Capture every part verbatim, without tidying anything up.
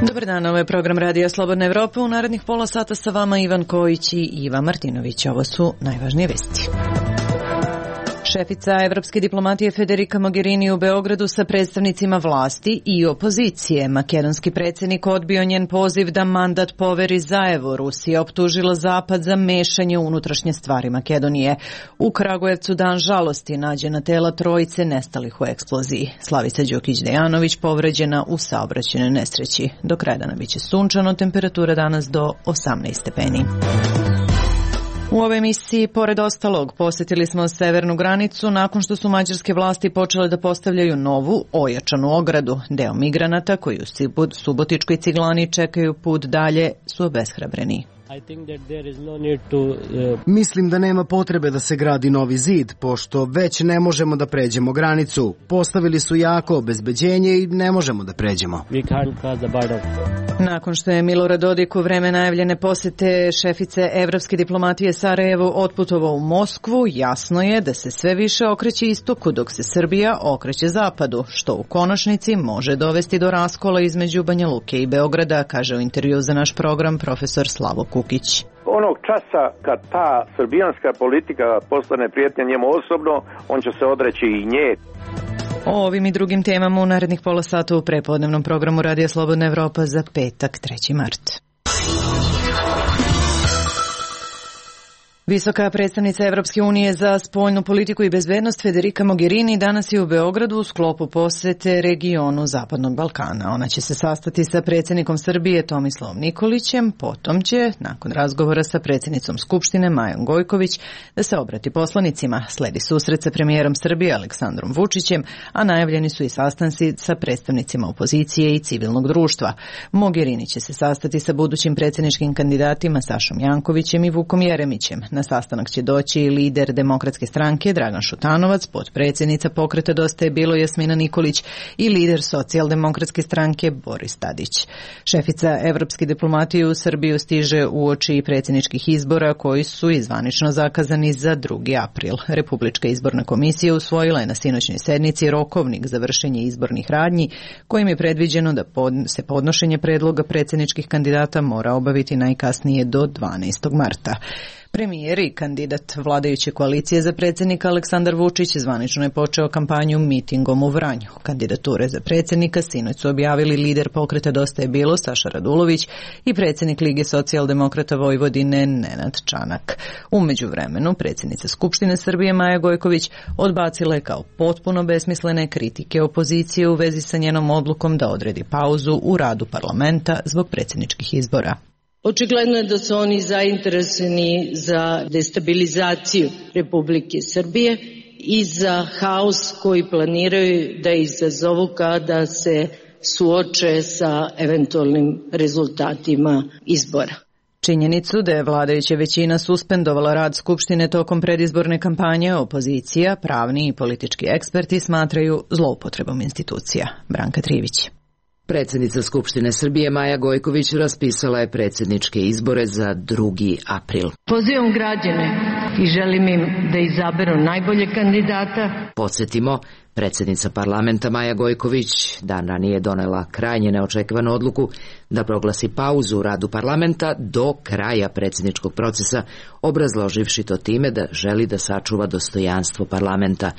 Dobar dan, ovo je program Radija Slobodna Evropa. U narednih pola sata sa vama Ivan Kojić i Iva Martinović. Ovo su najvažnije vesti. Šefica evropske diplomatije Federica Mogherini u Beogradu sa predstavnicima vlasti i opozicije. Makedonski predsjednik odbio njen poziv da mandat poveri Zaevu. Rusija optužila Zapad za mešanje u unutrašnje stvari Makedonije. U Kragujevcu dan žalosti, nađena tela trojice nestalih u eksploziji. Slavica Đukić-Dejanović povređena u saobraćajnoj nesreći. Do kraja dana biće sunčano, temperatura danas do osamnaest stepeni. U ovoj emisiji, pored ostalog, posjetili smo severnu granicu nakon što su mađarske vlasti počele da postavljaju novu, ojačanu ogradu. Deo migranata koji u Subotičkoj Ciglani čekaju put dalje su obeshrabreni. Mislim da nema potrebe da se gradi novi zid, pošto već ne možemo da pređemo granicu. Postavili su jako obezbeđenje i ne možemo da pređemo. Nakon što je Milorad Dodik u vreme najavljene posete šefice evropske diplomatije Sarajevu otputovao u Moskvu, jasno je da se sve više okreće istoku, dok se Srbija okreće zapadu, što u konačnici može dovesti do raskola između Banja Luke i Beograda, kaže u intervju za naš program profesor Slavo Kukić. Onog časa kad ta srbijanska politika postane prijetnja njemu osobno, on će se odreći i nje. O ovim i drugim temama u narednih pola sata u prepodnevnom programu Radija Slobodna Evropa za petak, treći mart. Visoka predstavnica Evropske unije za spoljnu politiku i bezbednost Federica Mogherini danas je u Beogradu u sklopu posete regionu Zapadnog Balkana. Ona će se sastati sa predsjednikom Srbije Tomislavom Nikolićem, potom će, nakon razgovora sa predsjednicom Skupštine Majom Gojković, da se obrati poslanicima. Sledi susret sa premijerom Srbije Aleksandrom Vučićem, a najavljeni su i sastanci sa predstavnicima opozicije i civilnog društva. Mogherini će se sastati sa budućim predsjedničkim kandidatima Sašom Jankovićem i Vukom Jeremićem. Na sastanak će doći i lider Demokratske stranke Dragan Šutanovac, potpredsjednica Pokreta Dosta je bilo Jasmina Nikolić i lider Socijaldemokratske stranke Boris Tadić. Šefica evropske diplomatije u Srbiju stiže uoči predsjedničkih izbora koji su izvanično zakazani za drugi april. Republička izborna komisija usvojila je na sinoćnoj sednici rokovnik za vršenje izbornih radnji kojim je predviđeno da pod, se podnošenje predloga predsjedničkih kandidata mora obaviti najkasnije do dvanaestog marta. Premijer i kandidat vladajuće koalicije za predsjednika Aleksandar Vučić zvanično je počeo kampanju mitingom u Vranju. Kandidature za predsjednika sinoć su objavili lider Pokreta Dosta je bilo Saša Radulović i predsjednik Lige socijaldemokrata Vojvodine Nenad Čanak. U međuvremenu predsjednica Skupštine Srbije Maja Gojković odbacila je kao potpuno besmislene kritike opozicije u vezi sa njenom odlukom da odredi pauzu u radu parlamenta zbog predsjedničkih izbora. Očigledno je da su oni zainteresovani za destabilizaciju Republike Srbije i za haos koji planiraju da izazovu kada se suoče sa eventualnim rezultatima izbora. Činjenicu da je vladajuća većina suspendovala rad Skupštine tokom predizborne kampanje, opozicija, pravni i politički eksperti smatraju zloupotrebom institucija. Branka Trivić. Predsjednica Skupštine Srbije Maja Gojković raspisala je predsjedničke izbore za drugi april. Pozivam građane i želim im da izaberu najbolje kandidata. Podsjetimo, predsjednica parlamenta Maja Gojković dan ranije donela krajnje neočekivanu odluku da proglasi pauzu u radu parlamenta do kraja predsjedničkog procesa, obrazloživši to time da želi da sačuva dostojanstvo parlamenta.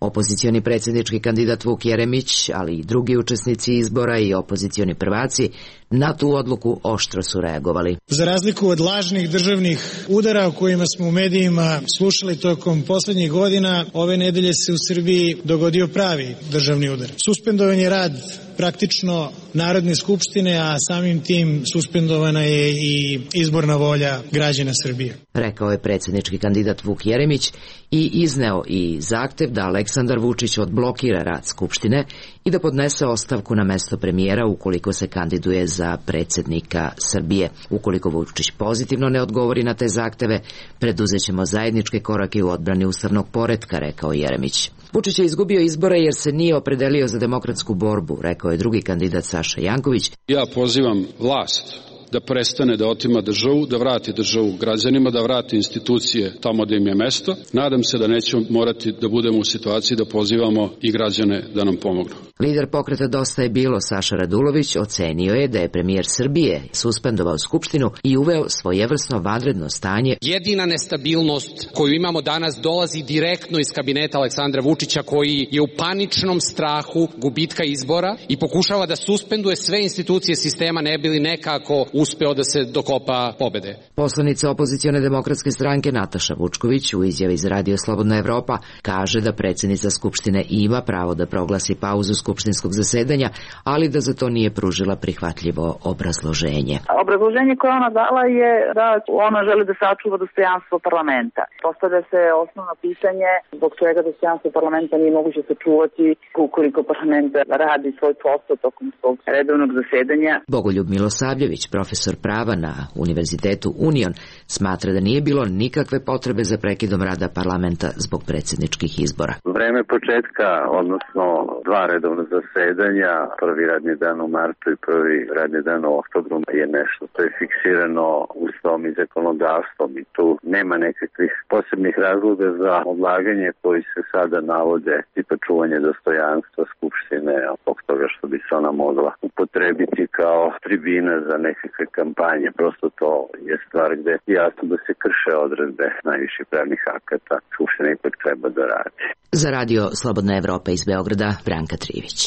Opozicioni predsjednički kandidat Vuk Jeremić, ali i drugi učesnici izbora i opozicioni prvaci na tu odluku oštro su reagovali. Za razliku od lažnih državnih udara o kojima smo u medijima slušali tokom posljednjih godina, ove nedelje se u Srbiji dogodio pravi državni udar. Suspendovan je rad praktično Narodne skupštine, a samim tim suspendovana je i izborna volja građana Srbije. Rekao je predsjednički kandidat Vuk Jeremić i izneo i zahtev da Aleksandar Vučić odblokira rad Skupštine i da podnese ostavku na mesto premijera ukoliko se kandiduje za predsjednika Srbije. Ukoliko Vučić pozitivno ne odgovori na te zahteve, preduzećemo zajedničke korake u odbrani ustavnog poretka, rekao Jeremić. Vučić je izgubio izbore jer se nije opredelio za demokratsku borbu, rekao je drugi kandidat Saša Janković. Ja pozivam vlast da prestane da otima državu, da vrati državu građanima, da vrati institucije tamo gde im je mesto. Nadam se da nećemo morati da budemo u situaciji da pozivamo i građane da nam pomognu. Lider pokreta Dosta je bilo, Saša Radulović, ocenio je da je premijer Srbije suspendovao Skupštinu i uveo svojevrsno vanredno stanje. Jedina nestabilnost koju imamo danas dolazi direktno iz kabineta Aleksandra Vučića, koji je u paničnom strahu gubitka izbora i pokušava da suspenduje sve institucije sistema ne bi li nekako uspeo da se dokopa pobede. Poslanica opozicione demokratske stranke Nataša Vučković u izjavi za Radio Slobodna Evropa kaže da predsjednica Skupštine ima pravo da proglasi pauzu skupštinskog zasedanja, ali da za to nije pružila prihvatljivo obrazloženje. Obrazloženje koje ona dala je da ona želi da sačuva dostojanstvo parlamenta. Postavlja se osnovno pitanje zbog čega dostojanstvo parlamenta nije moguće sačuvati ukoliko parlament radi svoj posao tokom svog redovnog zasedanja. Bogoljub Milosavljević, profesor prava na Univerzitetu Union, smatra da nije bilo nikakve potrebe za prekidom rada parlamenta zbog predsjedničkih izbora. Vreme početka, odnosno dva redovna zasedanja, prvi radni dan u martu i prvi radni dan u oktobru je nešto što je fiksirano ustavom i zakonodavstvom i tu nema nekakvih posebnih razloga za odlaganje koji se sada navode, tipa čuvanje dostojanstva Skupštine, zbog toga što bi se ona mogla upotrebiti kao tribina za nekakve kampanje. Prosto to je stvar gde je jasno da se krše odredbe najviših pravnih akata. Skupština ipak treba da radi. Za Radio Slobodna Evropa iz Beograda, Branka Trivić.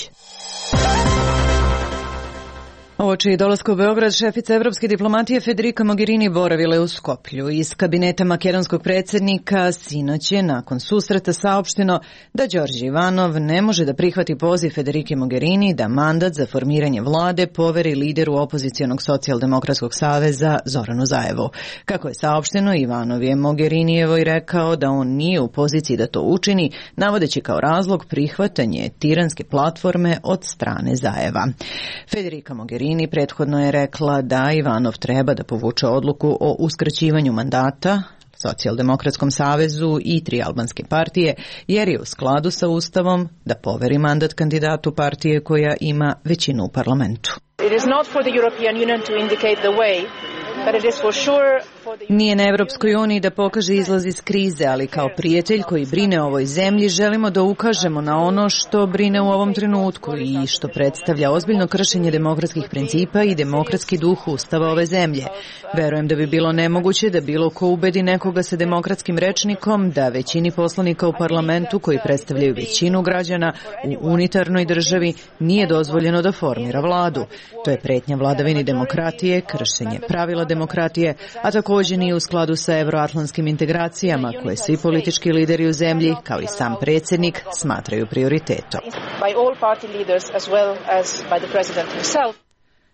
Uoči dolaska u Beograd, šefica evropske diplomatije Federica Mogherini boravila je u Skoplju. Iz kabineta makedonskog predsjednika sinoć je nakon susreta saopšteno da Đorđe Ivanov ne može da prihvati poziv Federike Mogherini da mandat za formiranje vlade poveri lideru opozicionog socijaldemokratskog saveza Zoranu Zaevu. Kako je saopšteno, Ivanov je Mogherinijevo i rekao da on nije u poziciji da to učini, navodeći kao razlog prihvatanje tiranske platforme od strane Zaeva. Federica Mogherini prethodno je rekla da Ivanov treba da povuče odluku o uskraćivanju mandata Socijaldemokratskom savezu i tri albanske partije, jer je u skladu sa Ustavom da poveri mandat kandidatu partije koja ima većinu u parlamentu. Nije na Evropskoj uniji da pokaže izlaz iz krize, ali kao prijatelj koji brine o ovoj zemlji želimo da ukažemo na ono što brine u ovom trenutku i što predstavlja ozbiljno kršenje demokratskih principa i demokratski duh Ustava ove zemlje. Verujem da bi bilo nemoguće da bilo ko ubedi nekoga sa demokratskim rečnikom da većini poslanika u parlamentu koji predstavljaju većinu građana u unitarnoj državi nije dozvoljeno da formira vladu. To je pretnja vladavini demokratije, kršenje pravila demokratije, a također nije u skladu sa evroatlantskim integracijama koje svi politički lideri u zemlji, kao i sam predsjednik, smatraju prioritetom.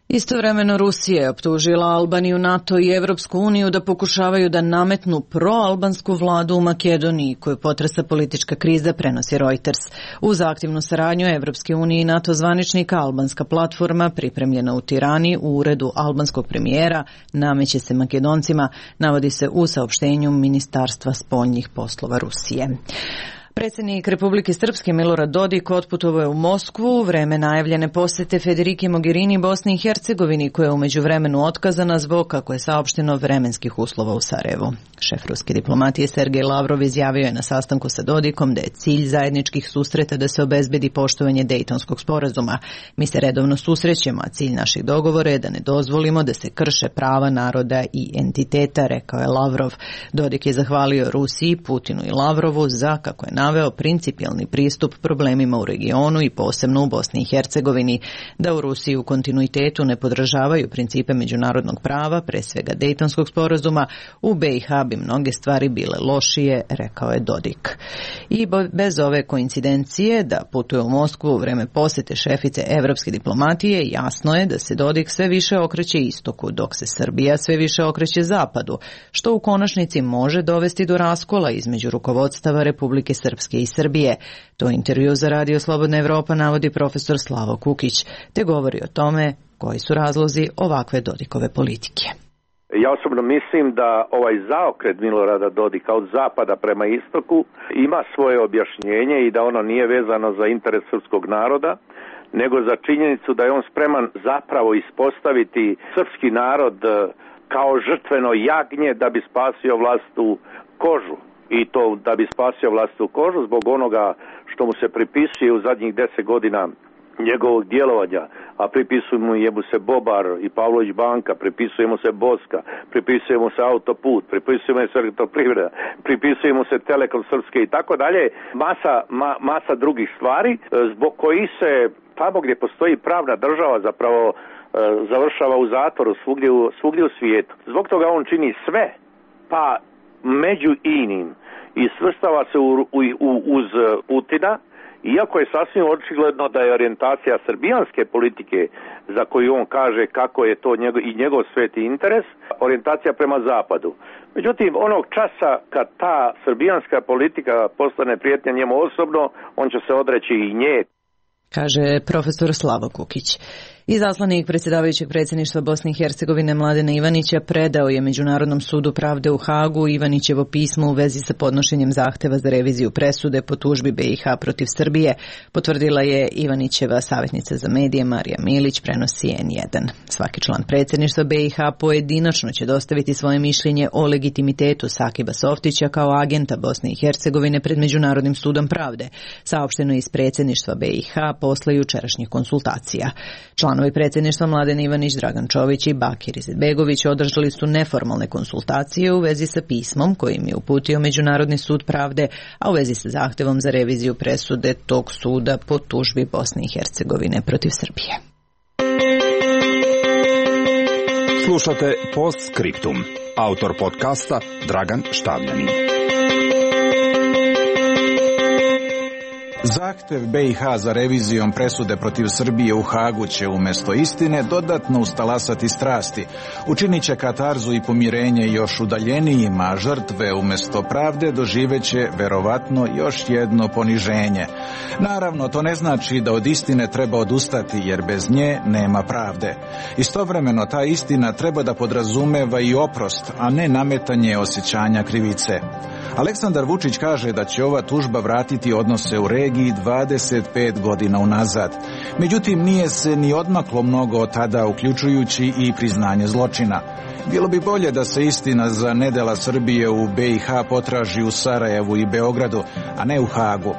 Istovremeno Rusija je optužila Albaniju, NATO i Evropsku uniju da pokušavaju da nametnu proalbansku vladu u Makedoniji, koju potresa politička kriza, prenosi Reuters. Uz aktivnu saradnju Evropske unije i NATO zvaničnika, albanska platforma, pripremljena u Tirani u uredu albanskog premijera, nameće se Makedoncima, navodi se u saopštenju Ministarstva spoljnih poslova Rusije. Predsjednik Republike Srpske Milorad Dodik otputovao je u Moskvu u vreme najavljene posete Federike Mogherini Bosni i Hercegovini, koja je u međuvremenu otkazana zbog, kako je saopšteno, vremenskih uslova u Sarajevu. Šef ruske diplomatije Sergej Lavrov izjavio je na sastanku sa Dodikom da je cilj zajedničkih susreta da se obezbedi poštovanje Dejtonskog sporazuma. Mi se redovno susrećemo, a cilj naših dogovora je da ne dozvolimo da se krše prava naroda i entiteta, rekao je Lavrov. Dodik je zahvalio Rusiji, Putinu i Lavrovu za, kako je naveo, principijelni pristup problemima u regionu i posebno u Bosni i Hercegovini, da u Rusiji u kontinuitetu ne podržavaju principe međunarodnog prava, pre svega Dejtonskog sporazuma, u B i H bi mnoge stvari bile lošije, rekao je Dodik. I bez ove koincidencije da putuje u Moskvu u vreme posete šefice evropske diplomatije, jasno je da se Dodik sve više okreće istoku, dok se Srbija sve više okreće zapadu, što u konačnici može dovesti do raskola između rukovodstava Republike Srpske i Srbije. To intervju za Radio Slobodna Evropa navodi profesor Slavo Kukić, te govori o tome koji su razlozi ovakve Dodikove politike. Ja osobno mislim da ovaj zaokret Milorada Dodika od zapada prema istoku ima svoje objašnjenje i da ono nije vezano za interes srpskog naroda, nego za činjenicu da je on spreman zapravo ispostaviti srpski narod kao žrtveno jagnje da bi spasio vlastitu kožu. I to da bi spasio vlastitu kožu zbog onoga što mu se pripisuje u zadnjih deset godina njegovog djelovanja, a pripisujemo mu se Bobar i Pavlović banka, pripisujemo se Boska, pripisujemo se autoput, pripisujemo se elektroprivreda, pripisujemo se Telekom Srpske i tako dalje, masa, ma, masa drugih stvari zbog koji se tamo gdje postoji pravna država zapravo e, završava u zatvoru svugdje u, svugdje u svijetu. Zbog toga on čini sve, pa među inim i svrstava se u, u, u, uz Putina, iako je sasvim očigledno da je orijentacija srbijanske politike, za koju on kaže kako je to njegov, i njegov sveti interes, orijentacija prema zapadu. Međutim, onog časa kad ta srbijanska politika postane prijetnja njemu osobno, on će se odreći i nje. Kaže profesor Slavo Kukić. Izaslanik predsjedavajućeg predsjedništva Bosne i Hercegovine Mladena Ivanića predao je Međunarodnom sudu pravde u Hagu Ivanićevo pismo u vezi sa podnošenjem zahteva za reviziju presude po tužbi B i H protiv Srbije, potvrdila je Ivanićeva savjetnica za medije Marija Milić, prenosi N jedan. Svaki član predsjedništva B i H pojedinačno će dostaviti svoje mišljenje o legitimitetu Sakiba Softića kao agenta Bosne i Hercegovine pred Međunarodnim sudom pravde, saopšteno iz predsjedništva B i H posle jučerašnjih konsultacija. Članovi predsjedništva Mladen Ivanić, Dragan Čović i Bakir Izetbegović održali su neformalne konsultacije u vezi sa pismom kojim je uputio Međunarodni sud pravde, a u vezi sa zahtevom za reviziju presude tog suda po tužbi Bosne i Hercegovine protiv Srbije. Slušate Postscriptum. Autor podcasta Dragan Štavljanin. Zahtev B i H za revizijom presude protiv Srbije u Hagu će umjesto istine dodatno ustalasati strasti. Učinit će katarzu i pomirenje još udaljenijima, a žrtve umjesto pravde doživeće verovatno još jedno poniženje. Naravno, to ne znači da od istine treba odustati, jer bez nje nema pravde. Istovremeno, ta istina treba da podrazumeva i oprost, a ne nametanje osjećanja krivice. Aleksandar Vučić kaže da će ova tužba vratiti odnose u regiji dvadeset pet godina unazad. Međutim, nije se ni odmaklo mnogo od tada, uključujući i priznanje zločina. Bilo bi bolje da se istina za nedela Srbije u B i H potraži u Sarajevu i Beogradu, a ne u Hagu.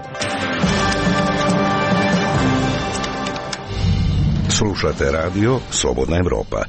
Slušate radio Slobodna Evropa.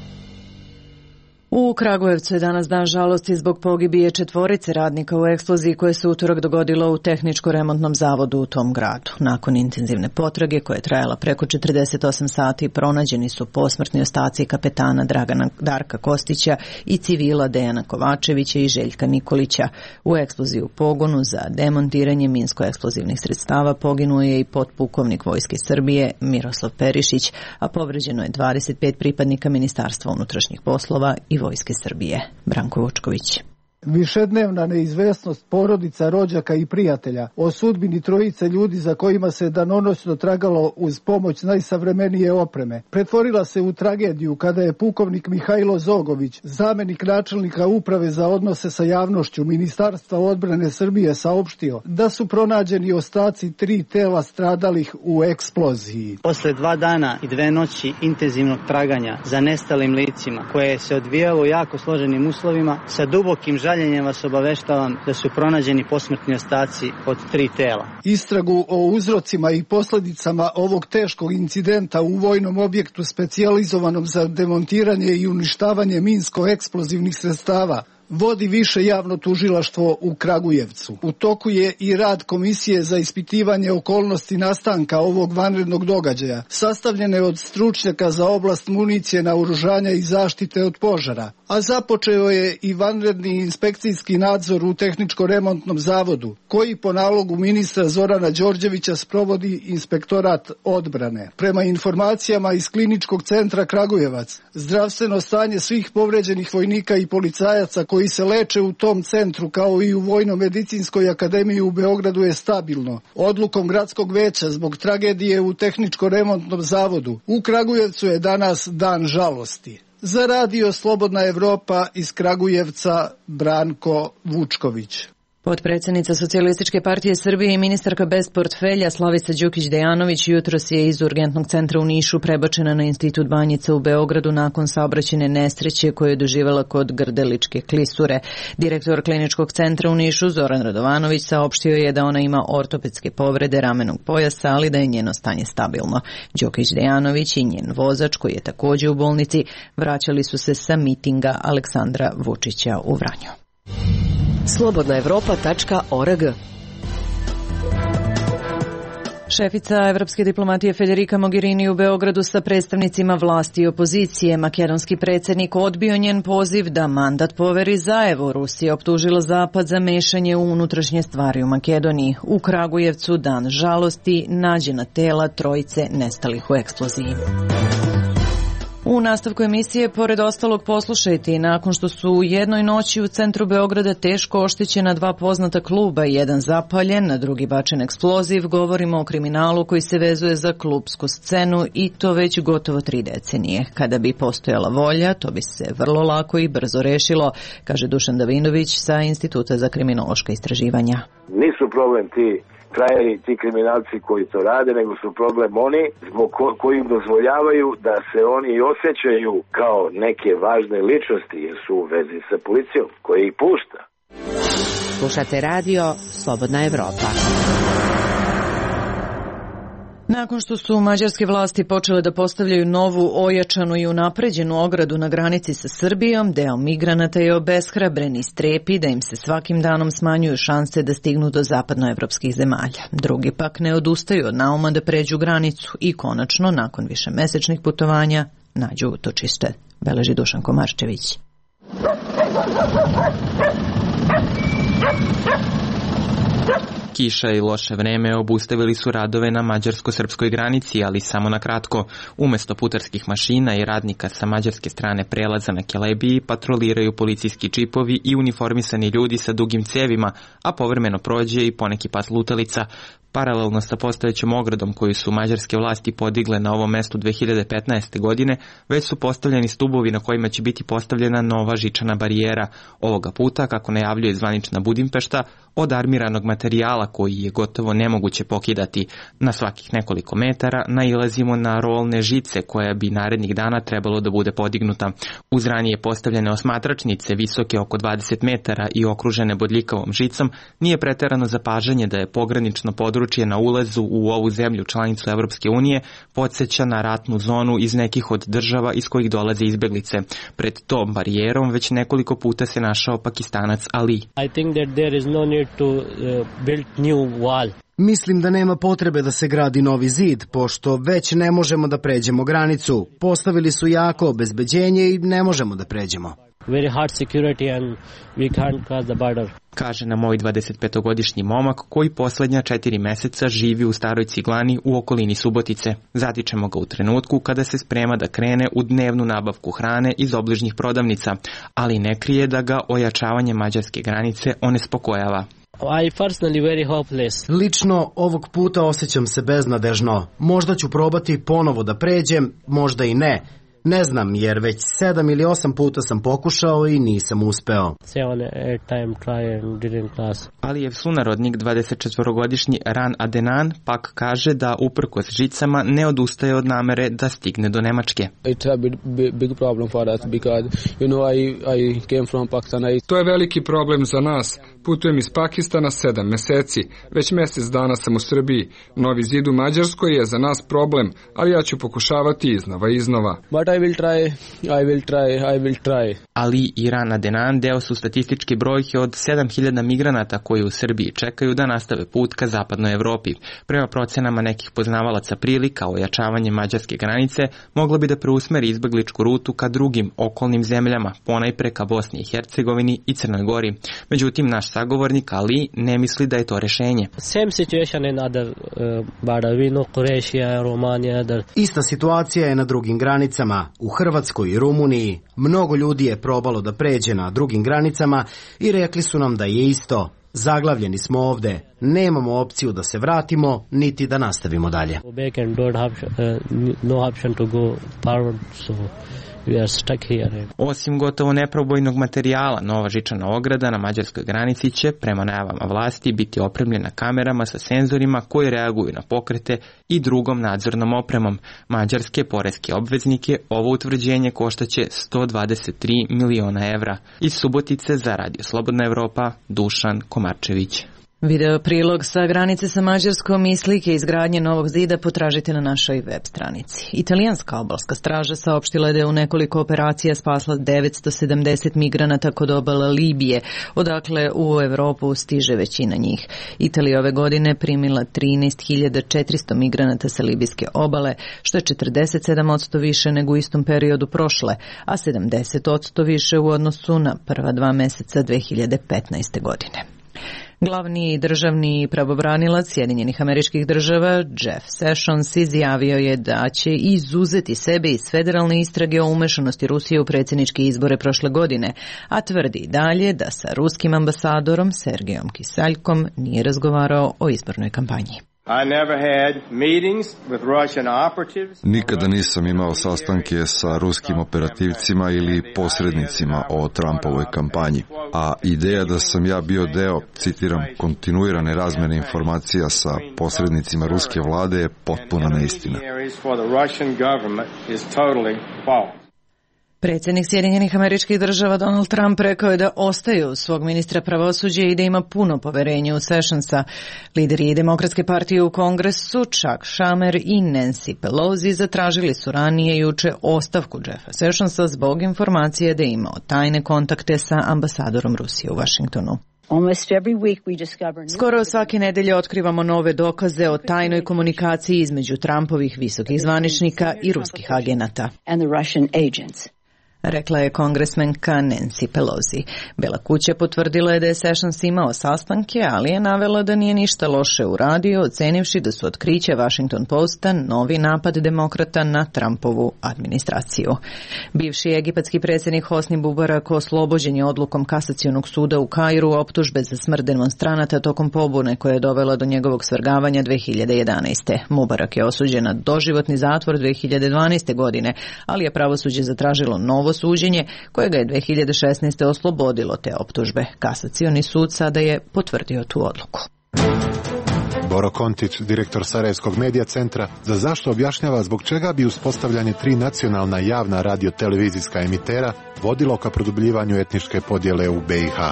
U Kragujevcu je danas dan žalosti zbog pogibije četvorice radnika u eksploziji koje se utorak dogodilo u tehničko-remontnom zavodu u tom gradu. Nakon intenzivne potrage koja je trajala preko četrdeset osam sati, pronađeni su posmrtni ostaci kapetana Dragana Darka Kostića i civila Dejana Kovačevića i Željka Nikolića. U eksploziji u pogonu za demontiranje minsko-eksplozivnih sredstava poginuo je i potpukovnik Vojske Srbije Miroslav Perišić, a povređeno je dvadeset pet pripadnika Ministarstva unutrašnjih poslova i Vojske Srbije. Branko Vučković. Višednevna neizvesnost porodica, rođaka i prijatelja o sudbini trojice ljudi za kojima se danonoćno tragalo uz pomoć najsavremenije opreme pretvorila se u tragediju kada je pukovnik Mihajlo Zogović, zamenik načelnika uprave za odnose sa javnošću Ministarstva odbrane Srbije, saopštio da su pronađeni ostaci tri tela stradalih u eksploziji. Posle dva dana i dve noći intenzivnog traganja za nestalim licima, koje se odvijalo u jako složenim uslovima, sa dubokim žaljenjem vas obaveštavam da su pronađeni posmrtni ostaci od tri tela. Istragu o uzrocima i posljedicama ovog teškog incidenta u vojnom objektu specijalizovanom za demontiranje i uništavanje minsko-eksplozivnih sredstava vodi više javno tužilaštvo u Kragujevcu. U toku je i rad Komisije za ispitivanje okolnosti nastanka ovog vanrednog događaja, sastavljene od stručnjaka za oblast municije, naoružanja i zaštite od požara. A započeo je i vanredni inspekcijski nadzor u tehničko-remontnom zavodu, koji po nalogu ministra Zorana Đorđevića sprovodi Inspektorat odbrane. Prema informacijama iz Kliničkog centra Kragujevac, zdravstveno stanje svih povređenih vojnika i policajaca koji se leče u tom centru, kao i u Vojno-medicinskoj akademiji u Beogradu, je stabilno. Odlukom gradskog veća zbog tragedije u tehničko-remontnom zavodu u Kragujevcu je danas dan žalosti. Za radio Slobodna Evropa iz Kragujevca, Branko Vučković. Potpredsjednica Socijalističke partije Srbije i ministarka bez portfelja Slavica Đukić-Dejanović jutros je iz urgentnog centra u Nišu prebačena na Institut Banjica u Beogradu nakon saobraćajne nesreće koju je doživjela kod Grdeličke klisure. Direktor kliničkog centra u Nišu Zoran Radovanović saopštio je da ona ima ortopedske povrede ramenog pojasa, ali da je njeno stanje stabilno. Đukić-Dejanović i njen vozač, koji je također u bolnici, vraćali su se sa mitinga Aleksandra Vučića u Vranju. slobodna evropa tačka org. Šefica evropske diplomatije Federica Mogherini u Beogradu sa predstavnicima vlasti i opozicije. Makedonski predsjednik odbio njen poziv da mandat poveri Zaevu. Rusija optužila Zapad za mešanje u unutrašnje stvari u Makedoniji. U Kragujevcu dan žalosti, nađena tela trojice nestalih u eksploziji. U nastavku emisije, pored ostalog, poslušajte, nakon što su u jednoj noći u centru Beograda teško oštećena dva poznata kluba, jedan zapaljen, na drugi bačen eksploziv, govorimo o kriminalu koji se vezuje za klupsku scenu i to već gotovo tri decenije. Kada bi postojala volja, to bi se vrlo lako i brzo rešilo, kaže Dušan Davinović sa Instituta za kriminološka istraživanja. Nisu problem ti krajeri, ti kriminalci koji to rade, nego su problem oni zbog ko, koji im dozvoljavaju da se oni osjećaju kao neke važne ličnosti jer su u vezi sa policijom koja ih pušta. Slušate radio Slobodna Evropa. Nakon što su mađarske vlasti počele da postavljaju novu, ojačanu i unapređenu ogradu na granici sa Srbijom, deo migranata je obeshrabren i strepi da im se svakim danom smanjuju šanse da stignu do zapadnoevropskih zemalja. Drugi pak ne odustaju od nauma da pređu granicu i konačno, nakon višemesečnih putovanja, nađu utočište, beleži Dušan Komarčević. Kiša i loše vreme obustavili su radove na mađarsko-srpskoj granici, ali samo na kratko. Umesto putarskih mašina i radnika sa mađarske strane prelaza na Kelebiji patroliraju policijski čipovi i uniformisani ljudi sa dugim cevima, a povremeno prođe i poneki pas lutalica. Paralelno sa postojećom ogradom koju su mađarske vlasti podigle na ovom mestu dve hiljade petnaeste. godine, već su postavljeni stubovi na kojima će biti postavljena nova žičana barijera. Ovoga puta, kako najavljuje zvanična Budimpešta, od armiranog materijala koji je gotovo nemoguće pokidati. Na svakih nekoliko metara nailazimo na rolne žice koja bi narednih dana trebalo da bude podignuta. Uz ranije postavljene osmatračnice visoke oko dvadeset metara i okružene bodljikavom žicom, nije preterano zapažanje da je pogranično područje na ulazu u ovu zemlju članicu Evropske unije podsjeća na ratnu zonu iz nekih od država iz kojih dolaze izbeglice. Pred tom barijerom već nekoliko puta se našao Pakistanac Ali. I think that there is no need to uh, build new wall. Mislim da nema potrebe da se gradi novi zid, pošto već ne možemo da pređemo granicu. Postavili su jako obezbeđenje i ne možemo da pređemo. Very hard security and we can't cross the border. Kaže nam moj dvadesetpetogodišnji momak koji posljednja četiri meseca živi u Staroj Ciglani u okolini Subotice. Zatičemo ga u trenutku kada se sprema da krene u dnevnu nabavku hrane iz obližnjih prodavnica, ali ne krije da ga ojačavanje mađarske granice onespokojava. I personally very hopeless. Lično ovog puta osjećam se beznadežno. Možda ću probati ponovo da pređem, možda i ne. Ne znam, jer već sedam ili osam puta sam pokušao i nisam uspeo. Alijev sunarodnik, dvadesetčetvorogodišnji Ran Adenan, pak kaže da uprkos žicama ne odustaje od namere da stigne do Nemačke. To je veliki problem za nas. Putujem iz Pakistana sedam meseci. Već mjesec dana sam u Srbiji. Novi zid u Mađarskoj je za nas problem, ali ja ću pokušavati iznova i iznova. I will try, I will try, I will try. Ali i Ran Adenan deo su statističke brojke od sedam hiljada migranata koji u Srbiji čekaju da nastave put ka zapadnoj Evropi. Prema procenama nekih poznavalaca prilika, ojačavanje mađarske granice moglo bi da preusmeri izbegličku rutu ka drugim okolnim zemljama, ponajpre ka Bosni i Hercegovini i Crnoj Gori. Međutim, naš sagovornik Ali ne misli da je to rešenje. Same situation in other uh, border. We know Croatia, Romania, other. Ista situacija je na drugim granicama. U Hrvatskoj i Rumuniji mnogo ljudi je probalo da pređe na drugim granicama i rekli su nam da je isto. Zaglavljeni smo ovde. Nemamo opciju da se vratimo, niti da nastavimo dalje. vi are stuck here. Osim gotovo neprobojnog materijala, nova žičana ograda na mađarskoj granici će, prema najavama vlasti, biti opremljena kamerama sa senzorima koji reaguju na pokrete i drugom nadzornom opremom. Mađarske poreske obveznike ovo utvrđenje koštaće sto dvadeset tri miliona evra. Iz Subotice za Radio Slobodna Evropa, Dušan Komarčević. Video prilog sa granice sa Mađarskom i slike izgradnje novog zida potražite na našoj web stranici. Italijanska obalska straža saopštila da je u nekoliko operacija spasla devetsto sedamdeset migranata kod obala Libije, odakle u Evropu stiže većina njih. Italija ove godine primila trinaest hiljada četiristo migranata sa libijske obale, što je četrdeset sedam posto više nego u istom periodu prošle, a sedamdeset posto više u odnosu na prva dva meseca dve hiljade petnaeste. godine. Glavni državni pravobranilac Sjedinjenih Američkih Država Jeff Sessions izjavio je da će izuzeti sebe iz federalne istrage o umešanosti Rusije u predsjedničke izbore prošle godine, a tvrdi dalje da sa ruskim ambasadorom Sergejom Kisaljkom nije razgovarao o izbornoj kampanji. Nikada nisam imao sastanke sa ruskim operativcima ili posrednicima o Trumpovoj kampanji, a ideja da sam ja bio deo, citiram, kontinuirane razmene informacija sa posrednicima ruske vlade je potpuna neistina. Predsjednik Sjedinjenih Američkih Država Donald Trump rekao je da ostaje uz svog ministra pravosuđa i da ima puno poverenja u Sessionsa. Lideri Demokratske partije u Kongresu, Chuck Schumer i Nancy Pelosi, zatražili su ranije juče ostavku Jeffa Sessionsa zbog informacije da je imao tajne kontakte sa ambasadorom Rusije u Washingtonu. Skoro svake nedelje otkrivamo nove dokaze o tajnoj komunikaciji između Trumpovih visokih zvaničnika i ruskih agenata, rekla je kongresmenka Nancy Pelosi. Bela kuća potvrdila je da je Sessions imao sastanke, ali je navela da nije ništa loše uradio, ocenivši da su otkriće Washington Posta novi napad demokrata na Trumpovu administraciju. Bivši egipatski predsjednik Hosni Mubarak oslobođen je odlukom kasacionog suda u Kairu optužbe za smrt demonstranata tokom pobune koja je dovela do njegovog svrgavanja dve hiljade jedanaeste. Mubarak je osuđen na doživotni zatvor dve hiljade dvanaeste. godine, ali je pravosuđe zatražilo novo suđenje koje ga je dve hiljade šesnaeste. oslobodilo te optužbe. Kasacioni sud sada je potvrdio tu odluku. Boro Kontić, direktor Sarajevskog medija centra, za zašto objašnjava zbog čega bi uspostavljanje tri nacionalna javna radio-televizijska emitera vodilo ka produbljivanju etničke podjele u be i ha.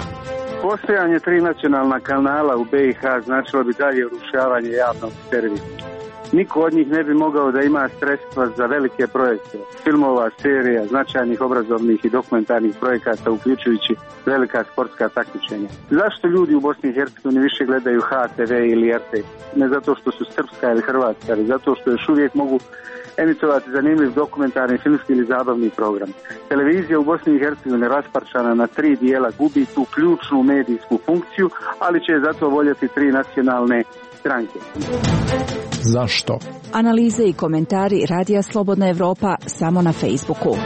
Postojanje tri nacionalna kanala u be i ha značilo bi dalje urušavanje javnog servisa. Niko od njih ne bi mogao da ima sredstva za velike projekte, filmova, serija, značajnih obrazovnih i dokumentarnih projekata, uključujući velika sportska takmičenja. Zašto ljudi u Bosni i Hercegovini više gledaju ha te ve ili er te? Ne zato što su srpska ili hrvatska, ali zato što još uvijek mogu emitovati zanimljiv dokumentarni, filmski ili zabavni program. Televizija u Bosni i Hercegovini rasparčana na tri dijela gubi tu ključnu medijsku funkciju, ali će zato voljeti tri nacionalne stranke. Zašto? Analize i komentari Radija Slobodna Evropa samo na Facebooku.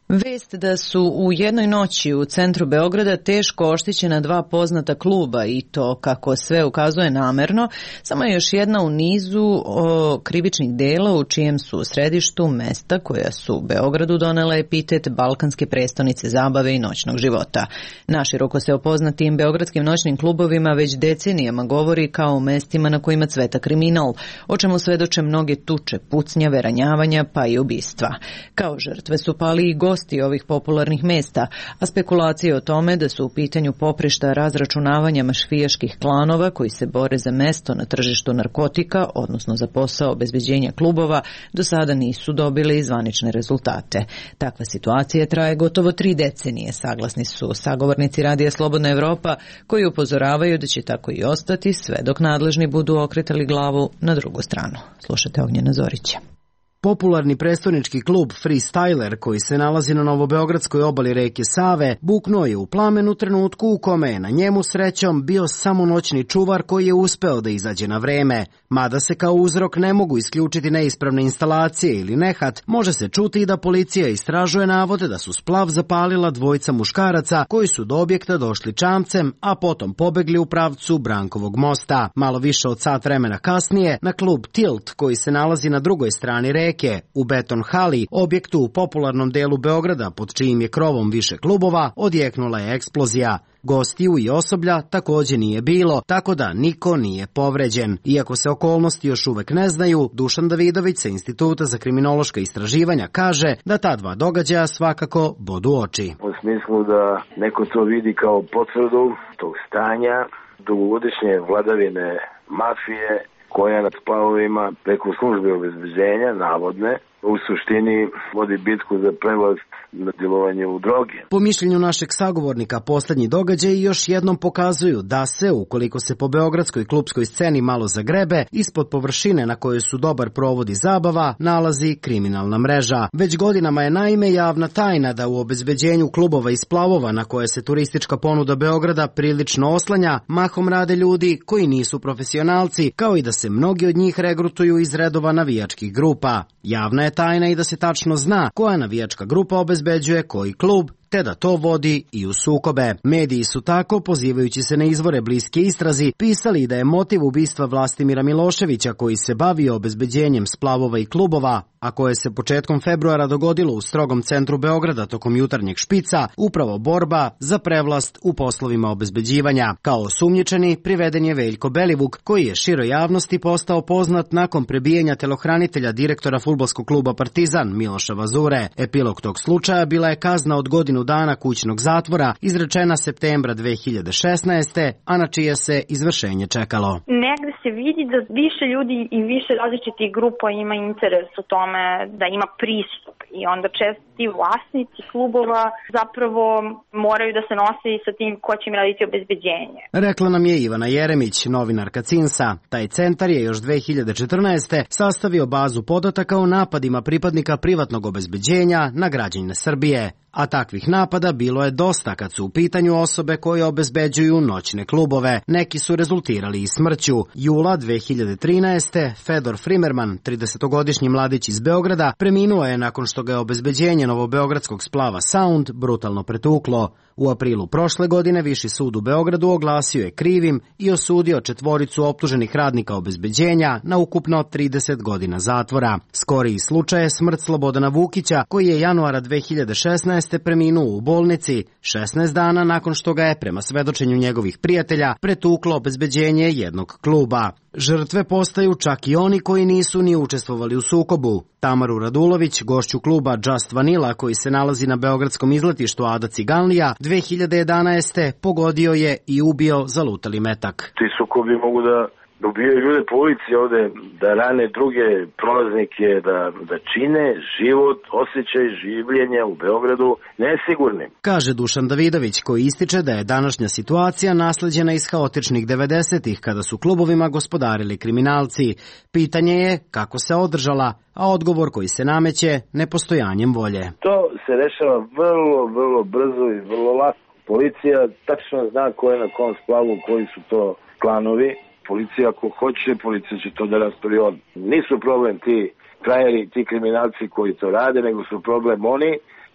Vest da su u jednoj noći u centru Beograda teško oštećena dva poznata kluba i to, kako sve ukazuje, namerno, samo je još jedna u nizu o krivičnih dela u čijem su u središtu mesta koja su Beogradu donela epitet balkanske prestonice zabave i noćnog života. Naširoko se o poznatim beogradskim noćnim klubovima već decenijama govori kao o mestima na kojima cveta kriminal, o čemu svedoče mnoge tuče, pucnjave, ranjavanja pa i ubistva. Kao žrtve su pali i gosti ovih popularnih mesta, a spekulacije o tome da su u pitanju poprišta razračunavanja mafijaških klanova koji se bore za mesto na tržištu narkotika, odnosno za posao obezbeđenja klubova, do sada nisu dobili zvanične rezultate. Takva situacija traje gotovo tri decenije, saglasni su sagovornici Radija Slobodna Evropa, koji upozoravaju da će tako i ostati sve dok nadležni budu okretali glavu na drugu stranu. Slušate Ognjena Zorića. Popularni prestonički klub Freestyler, koji se nalazi na novobeogradskoj obali reke Save, buknuo je u plamen u trenutku u kome je na njemu srećom bio samo noćni čuvar koji je uspeo da izađe na vreme. Mada se kao uzrok ne mogu isključiti neispravne instalacije ili nehat, može se čuti i da policija istražuje navode da su splav zapalila dvojica muškaraca koji su do objekta došli čamcem, a potom pobegli u pravcu Brankovog mosta. Malo više od sat vremena kasnije, na klub Tilt, koji se nalazi na drugoj strani reke, u Beton Hali, objektu u popularnom delu Beograda pod čijim je krovom više klubova, odjeknula je eksplozija. Gostiju i osoblja takođe nije bilo, tako da niko nije povređen. Iako se okolnosti još uvek ne znaju, Dušan Davidović sa Instituta za kriminološka istraživanja kaže da ta dva događaja svakako bodu oči. U smislu da neko to vidi kao potvrdu tog stanja dugogodišnje vladavine mafije koja nad splavovima preko službe obezbeđenja, navodne, u suštini vodi bitku za prevlast na djelovanju droge. Po mišljenju našeg sagovornika, poslednji događaji još jednom pokazuju da se, ukoliko se po beogradskoj klupskoj sceni malo zagrebe, ispod površine na kojoj su dobar provodi zabava, nalazi kriminalna mreža. Već godinama je naime javna tajna da u obezbeđenju klubova i splavova na koje se turistička ponuda Beograda prilično oslanja, mahom rade ljudi koji nisu profesionalci, kao i da se mnogi od njih regrutuju iz redova navijačkih grupa. Javna je tajna i da se tačno zna koja navijačka grupa obezbeđuje koji klub, te da to vodi i u sukobe. Mediji su tako, pozivajući se na izvore bliske istrazi, pisali da je motiv ubistva Vlastimira Miloševića, koji se bavio obezbeđenjem splavova i klubova, a koje se početkom februara dogodilo u strogom centru Beograda tokom jutarnjeg špica, upravo borba za prevlast u poslovima obezbeđivanja. Kao osumnjičeni priveden je Veljko Belivuk, koji je široj javnosti postao poznat nakon prebijanja telohranitelja direktora fudbalskog kluba Partizan Miloša Vazure. Epilog tog slučaja bila je kazna od godinu dana kućnog zatvora, izrečena septembra dve hiljade šesnaeste. a na čije se izvršenje čekalo. Negde se vidi da više ljudi i više različitih grupa ima interes u tome da ima pristup i onda često ti vlasnici klubova zapravo moraju da se nose i sa tim ko će im raditi obezbeđenje. Rekla nam je Ivana Jeremić, novinarka Cinsa. Taj centar je još dve hiljade četrnaeste. sastavio bazu podataka o napadima pripadnika privatnog obezbeđenja na građane Srbije. A takvih napada bilo je dosta kad su u pitanju osobe koje obezbeđuju noćne klubove. Neki su rezultirali i smrću. Jula dve hiljade trinaeste. Fedor Frimerman, tridesetogodišnji mladić iz Beograda, preminuo je nakon što ga je obezbeđenje novobeogradskog splava Sound brutalno pretuklo. U aprilu prošle godine Viši sud u Beogradu oglasio je krivim i osudio četvoricu optuženih radnika obezbeđenja na ukupno trideset godina zatvora. Skoriji slučaj je smrt Slobodana Vukića, koji je januara dve hiljade šesnaeste. preminuo u bolnici šesnaest dana nakon što ga je, prema svedočenju njegovih prijatelja, pretuklo obezbeđenje jednog kluba. Žrtve postaju čak i oni koji nisu ni učestvovali u sukobu. Tamaru Radulović, gošću kluba Just Vanilla, koji se nalazi na beogradskom izletištu Ada Ciganlija, dve hiljade jedanaeste. pogodio je i ubio zalutali metak. Ti sukobi mogu da dobijaju ljude po ulici ovde, da rane druge prolaznike, da, da čine život, osjećaj življenja u Beogradu nesigurnim. Kaže Dušan Davidović, koji ističe da je današnja situacija nasleđena iz haotičnih devedesetih, kada su klubovima gospodarili kriminalci. Pitanje je kako se održala, a odgovor koji se nameće nepostojanjem volje. To se rešava vrlo, vrlo brzo i vrlo lako. Policija tačno zna ko je na kom splavu, koji su to klanovi. Policija ako hoće, policija će to da rastori od. Nisu problem ti krajeri, ti kriminalci koji to rade, nego su problem oni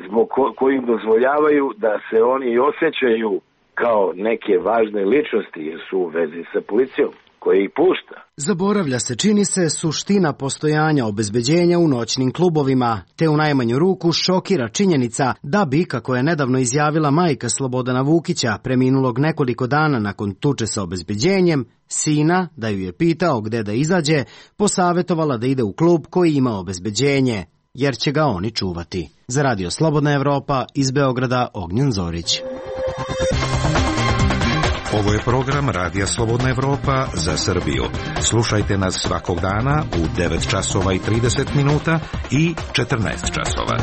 zbog ko, koji im dozvoljavaju da se oni osjećaju kao neke važne ličnosti jer su u vezi sa policijom koja ih pušta. Zaboravlja se, čini se, suština postojanja obezbeđenja u noćnim klubovima, te u najmanju ruku šokira činjenica da bi, kako je nedavno izjavila majka Slobodana Vukića, preminulog nekoliko dana nakon tuče sa obezbeđenjem, sina, da ju je pitao gde da izađe, posavetovala da ide u klub koji ima obezbeđenje, jer će ga oni čuvati. Za Radio Slobodna Evropa, iz Beograda, Ognjen Zorić. Ovo je program Radija Slobodna Evropa za Srbiju. Slušajte nas svakog dana u devet časova i trideset minuta i četrnaest časova.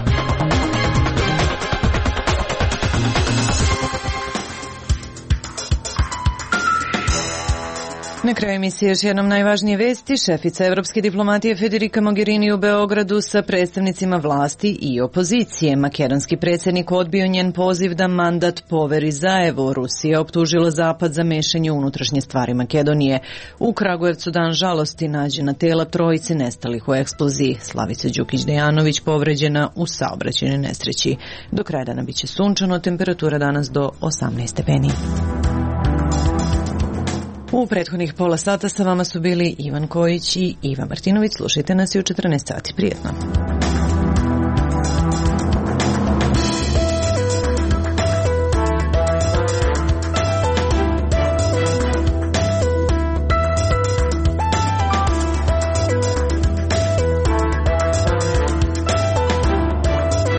Na kraju emisije još jednom najvažnije vesti. Šefica evropske diplomatije Federica Mogherini u Beogradu sa predstavnicima vlasti i opozicije. Makedonski predsjednik odbio njen poziv da mandat poveri Zaevu. Rusija optužila Zapad za mešanje u unutrašnje stvari Makedonije. U Kragujevcu dan žalosti nađena tela trojice nestalih u eksploziji. Slavica Đukić-Dejanović povređena u saobraćajnoj nesreći. Do kraja dana biće sunčano, temperatura danas do osamnaest stepeni. U prethodnih pola sata sa vama su bili Ivan Kojić i Iva Martinović. Slušajte nas i u četrnaest sati. Prijetno.